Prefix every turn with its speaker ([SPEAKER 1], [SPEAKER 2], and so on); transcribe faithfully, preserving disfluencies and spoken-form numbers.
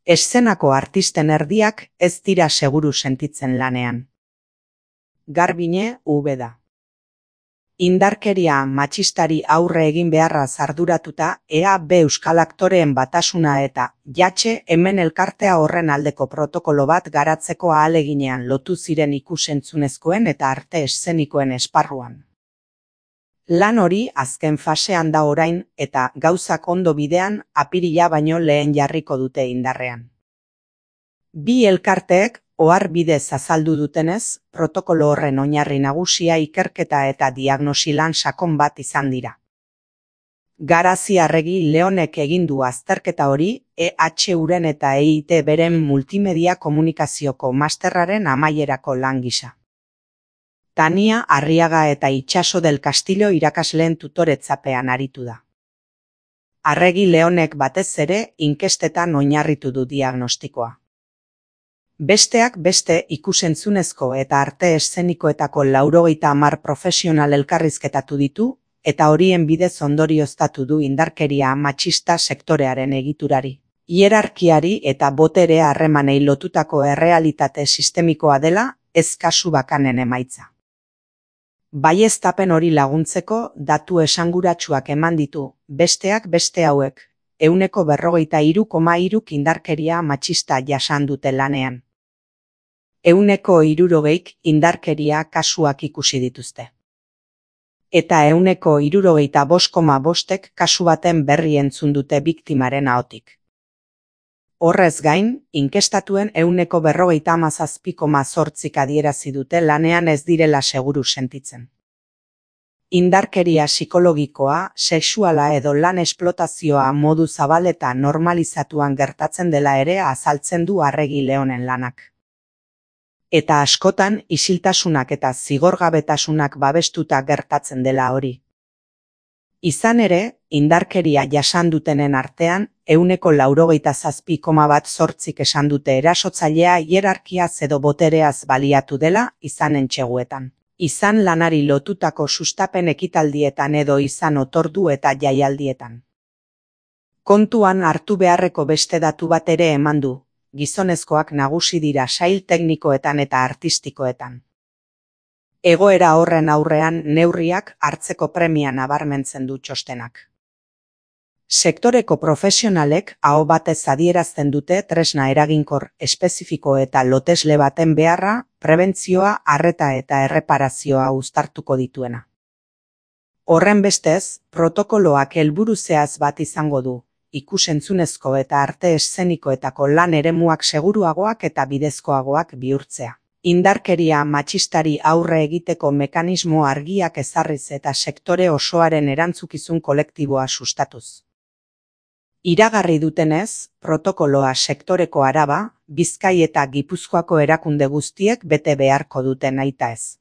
[SPEAKER 1] Eszenako artisten erdiak ez dira seguru sentitzen lanean. Garbine Ubeda. Indarkeria matxistari aurre egin beharraz arduratuta, E A B Euskal Aktoreen Batasuna eta Jatxe hemen elkartea horren aldeko protokolo bat garatzeko ahaleginean lotu ziren ikus-entzunezkoen eta arte eszenikoen esparruan. Lan hori azken fasean da orain eta gauzak ondo bidean apirila baino lehen jarriko dute indarrean. Bi elkarteek ohar bidez azaldu dutenez, protokolo horren oinarri nagusia ikerketa eta diagnosi lan sakon bat izan dira. Garazi Arregi Leonek egin du azterketa hori E H Uren eta E I T beren multimedia komunikazioko masterraren amaierako lan gisa. Tania Arriaga eta Itxaso del Castillo irakasleen tutoretzapean aritu da. Arregi Leonek batez ere inkestetan oinarritu du diagnostikoa. Besteak beste ikusentzunezko eta arte eszenikoetako laurogeita hamar profesional elkarrizketatu ditu eta horien bidez ondorioztatu du indarkeria matxista sektorearen egiturari, hierarkiari eta botere harremanei lotutako errealitate sistemikoa dela ez kasu bakanen emaitza. Baieztapen hori laguntzeko datu esanguratsuak eman ditu, besteak beste hauek, ehuneko berrogeita hiru koma hiruk indarkeria matxista jasan dute lanean. Ehuneko hirurogeik indarkeria kasuak ikusi dituzte. Eta ehuneko hirurogeita bost koma bostek kasu baten berri entzun dute biktimaren ahotik. Horrez gain, inkestatuen ehuneko berrogeita hamazazpi koma zortzik adierazi dute lanean ez direla seguru sentitzen. Indarkeria psikologikoa, sexuala edo lan esplotazioa modu zabal eta normalizatuan gertatzen dela ere azaltzen du Arregi Leonen lanak. Eta askotan isiltasunak eta zigorgabetasunak babestuta gertatzen dela hori. Izan ere, indarkeria jasan dutenen artean, ehuneko laurogeita zazpi koma bat zortzik esan dute erasotzailea hierarkiaz edo botereaz baliatu dela izan entxeguetan. Izan lanari lotutako sustapen ekitaldietan edo izan otordu eta jaialdietan. Kontuan hartu beharreko beste datu bat ere eman du, gizonezkoak nagusi dira sail teknikoetan eta artistikoetan. Egoera horren aurrean neurriak hartzeko premia nabarmentzen du txostenak. Sektoreko profesionalek aho batez adierazten dute tresna eraginkor, espezifiko eta lotesle baten beharra, prebentzioa, arreta eta erreparazioa uztartuko dituena. Horren bestez, protokoloak helburu zehaz bat izango du, ikusentzunezko eta arte eszenikoetako lan eremuak seguruagoak eta bidezkoagoak bihurtzea. Indarkeria matxistari aurre egiteko mekanismo argiak ezarriz eta sektore osoaren erantzukizun kolektiboa sustatuz. Iragarri dutenez, protokoloa sektoreko Araba, Bizkai eta Gipuzkoako erakunde guztiek bete beharko dute nahitaez.